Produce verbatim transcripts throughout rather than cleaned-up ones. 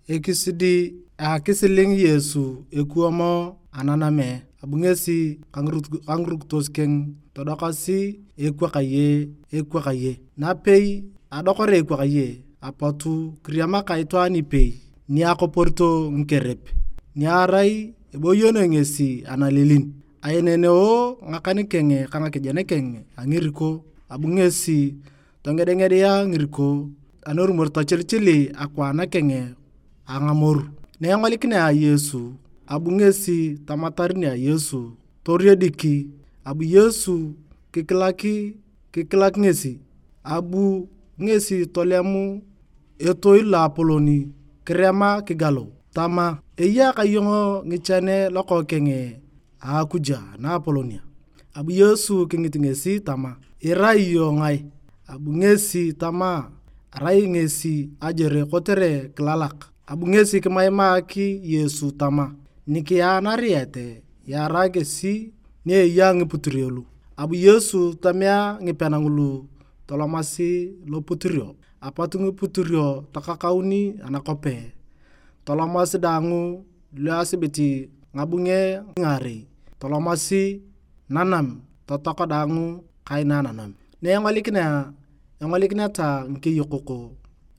Ekisidi a akisiling Yesu ekuwam ananame, abu ngesi ka ngirukitos keng todokasi, "Ekwakaye, ekwakaye." Napei adokor ekwakaye, apotu kiriamaka itwaan ipei ni akoporito ngikerep, ni arai eboyonoi ngesi analilin. Aeneneo ngakan keng ka ngakejen keng a ngiriko, abu ngesi tongedengedea ngiriko, anorumor tochilichili akwaan keng a ngamoru. Na engolikinea Yesu, abu ngesi tamatar nia Yesu, toriedik, abu Yesu kikilak, kikilak ngesi, abu ngesi tolemu etoi loapolon kirema kigalu, tama, "Eya ka iyong ngichan Lokookeng a Akuj Naapolonia." Abu Yesu kingit ngesi tama, "Irai iyong ngae?" Abu ngesi tama, "Arai ngesi ajere kotere kilalak." Abu ngesi kimaimak Yesu tama, "Nikiyaanariete, yaara kesi ni eya ngiputurio lu." Abu Yesu tomea ngipean ngulu tolomasi loputurio, apot ngiputurio takakauni anakope. Tolomasi daang lu asibit ngabunge ngaarei, tolomasi nanam totok daang kaina nanam. Na engolikinea, engolikineta ngikeyokok,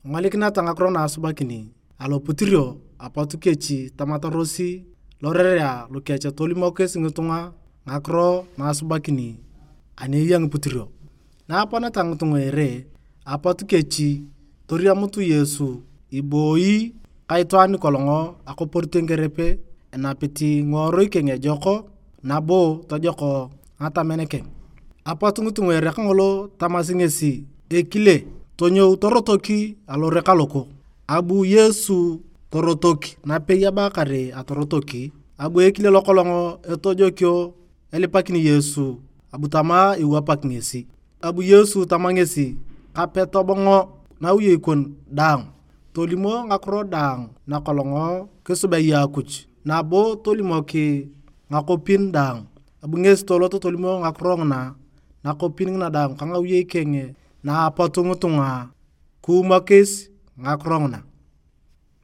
engolikineta ngakiro na asubakini aloputurio, apot kechi tamatarosi lorerea lukech tolimokis ngitunga ngakiro na asubakini ani eya ngiputurio. Na aponeta ngitunga ere, apot kechi toriamut Yesu iboi ka itwaan nikolong akoporito ngikerep enapit ngiworui keng ejok, nabo tojok ngatamen keng. Apot ngitunga ere kangolo tamasi ngesi, "Ekile, tonyou torotoki alore kaloko." Abu Yesu torotok, napei abakar atorotoki, abu ekile lokolong etojokio elipakini Yesu, abu tama iwapak ngesi. Abu Yesu tama ngesi, "Kape tobongo nawiyei kon daang, tolimo ngakiro daang nakolong kisubea Akuj, nabo tolimok ngakopin daang." Abu ngesi tolot tolimo ngakiro nguna nakopin ngina daang ka ngawiyei keng, na apot ngitunga kiumokis ngakiro nguna.